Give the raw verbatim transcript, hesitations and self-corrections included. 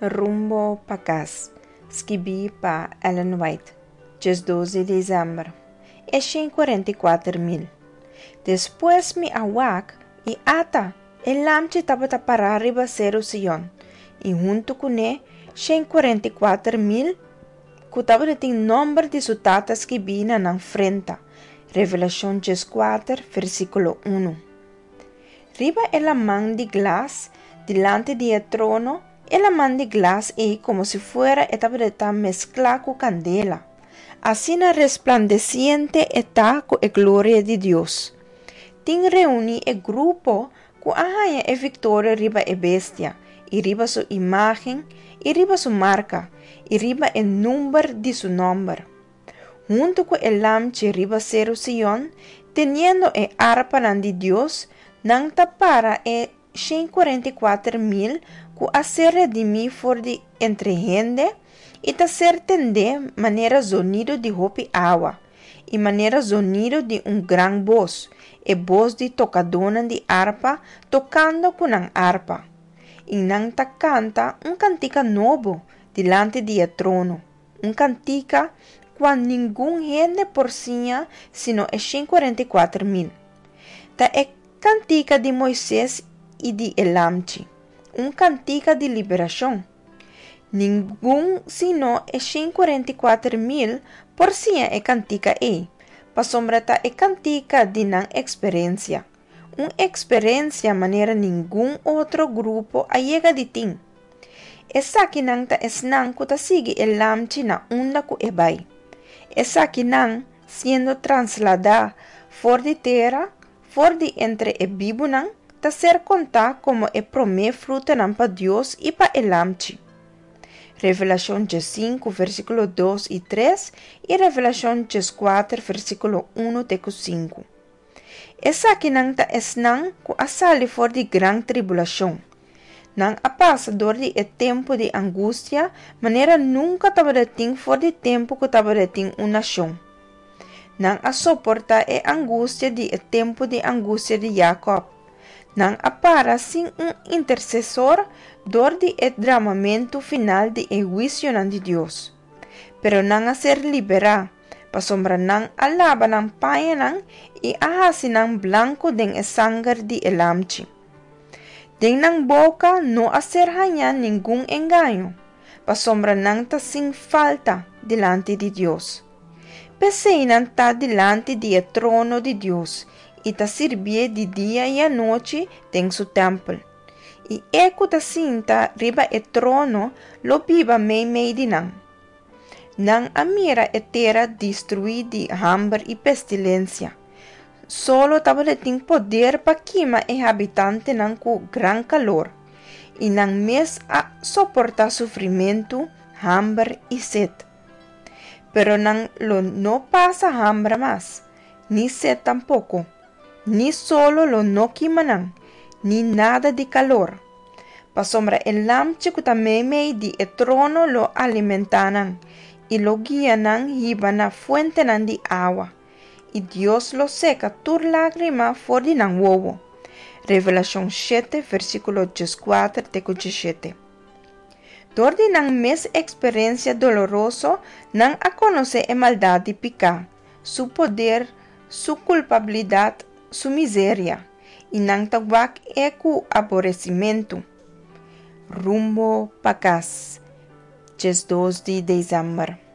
Rumbo pa kas, skibí pa Ellen White, diesdos di desèmber, e shen kuarenta i kuater mil. Despues mi a wak, i ata, e Lamchi tabata pará riba Seru Sion, i huntu kuné shen kuarenta i kuater mil ku tabatin nòmber di su Tata skibí na nan frenta. Revelashon dieskuater, versíkulo unu. Riba e laman di glas, dilanti di e trono, e laman di glas ei komo si fuera e tabata mesklá ku kandela. Asina resplandesiente e ta ku e gloria di Dios. Tin reuní e grupo ku a haña e viktoria riba e bestia, i riba su imágen, i riba su marka, i riba e number di su nòmber. Huntu ku e Lamchi riba Seru Sion, teniendo e arpanan di Dios, nan ta para e shen kuarenta i kuater mil ku a ser redimí for di entre hende i ta ser tendé manera zonido di hopi awa i manera zonido di un gran bos, e bos di tokadónan di arpa tokando ku nan arpa. I nan ta kanta un kantika nobo dilanti di e trono, un kantika kua ningun hende por siña sino e shen kuarenta i kuater mil. Ta e kantika di Moises i di e Lamchi, un kantika di liberashon. Ningun sino e shen kuarenta i kuater mil por siña e kantika ei, pasobra ta e kantika di nan eksperensia, un eksperensia manera ningun otro grupo a yega di tin. Esakinan ta esnan ku ta sigui e Lamchi na unda ku e bai. Esakinan, siendo trasladá for di tera, for di entre e bibunan, ta ser kontá komo e promé frutanan pa Dios i pa e Lamchi. Revelashon diesinku, versíkulo dos i tres i Revelashon dieskuater, versíkulo unu te ku sinku. Esakinan ta esnan ku a sali for di gran tribulashon. Nan a pasa dor di e tempu di angustia manera nunka tabatin for di tempu ku tabatin un nashon. Nan a soportá e angustia di e tempu di angustia di Jacob. Nan a para sin un intersesor dor di e dramamentu final di e huisionan di Dios. Pero nan a ser liberá, pasobra nan a laba nan pañanan i a hasi nan blanku den e sanger di e Lamchi. Den nan boka no a ser hañá ningun engaño, pasobra nan ta sin falta dilanti di Dios. P'esei nan ta dilanti di e trono di Dios i ta sirbié di dia i anochi den su tèmpel. I e ku ta sinta riba e trono lo biba meimei di nan. Nan a mira e tera destruí di hamber i pestilensia. Solo tabatin poder pa kima e habitantenan ku gran kalor, i nan mes a soportá sufrimentu, hamber i set. Pero nan lo no pasa hamber mas, ni set tampoko, ni solo lo no kima nan, ni nada di kalor. Pasobra e Lamchi ku ta meimei di e trono lo alimentá nan, i lo guia nan hiba na fuentenan di awa, i Dios lo seka tur lágrima for di nan wowo. Revelashon shete, versíkulo dieskuater te ku diesshete. Dor di nan mes eksperensia doloroso, nan a konosé e maldat di piká, su poder, su kulpabilidat, su miseria, i nan ta wak e ku aboresimentu. Rumbo pa kas, diesdos di desèmber.